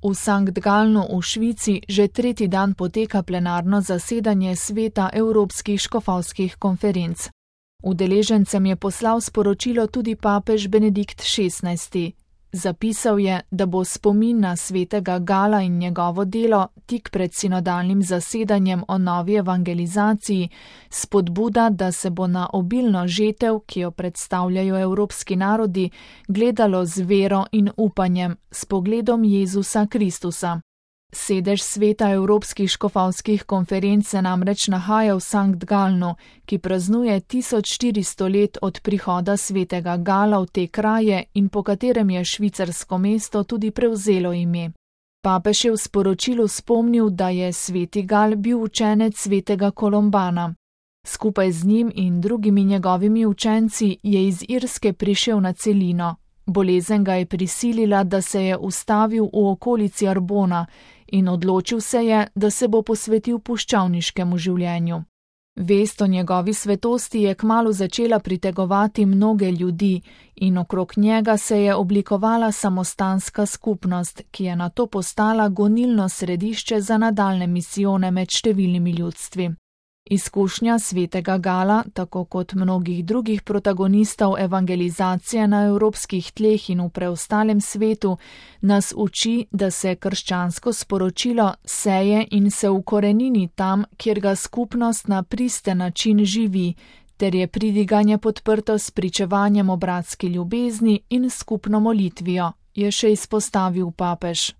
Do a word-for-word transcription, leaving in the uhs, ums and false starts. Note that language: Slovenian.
V Sankt Galnu v Švici že tretji dan poteka plenarno zasedanje Sveta Evropskih škofovskih konferenc. Udeležencem je poslal sporočilo tudi papež Benedikt šestnajsti. Zapisal je, da bo spomin na svetega Gala in njegovo delo tik pred sinodalnim zasedanjem o novi evangelizaciji spodbuda, da se bo na obilno žetev, ki jo predstavljajo evropski narodi, gledalo z vero in upanjem, s pogledom Jezusa Kristusa. Sedež Sveta Evropskih škofovskih konferenc se namreč nahaja v Sankt Galnu, ki praznuje tisoč štiristo let od prihoda svetega Gala v te kraje in po katerem je švicarsko mesto tudi prevzelo ime. Papež je v sporočilu spomnil, da je sveti Gal bil učenec svetega Kolombana. Skupaj z njim in drugimi njegovimi učenci je iz Irske prišel na celino. Bolezen ga je prisilila, da se je ustavil v okolici Arbona in odločil se je, da se bo posvetil puščavniškemu življenju. Vest o njegovi svetosti je kmalu začela pritegovati mnoge ljudi in okrog njega se je oblikovala samostanska skupnost, ki je nato postala gonilno središče za nadaljne misijone med številnimi ljudstvi. Izkušnja svetega Gala, tako kot mnogih drugih protagonistov evangelizacije na evropskih tleh in v preostalem svetu, nas uči, da se krščansko sporočilo seje in se ukorenini tam, kjer ga skupnost na pristen način živi, ter je pridiganje podprto s pričevanjem o bratski ljubezni in skupno molitvijo, je še izpostavil papež.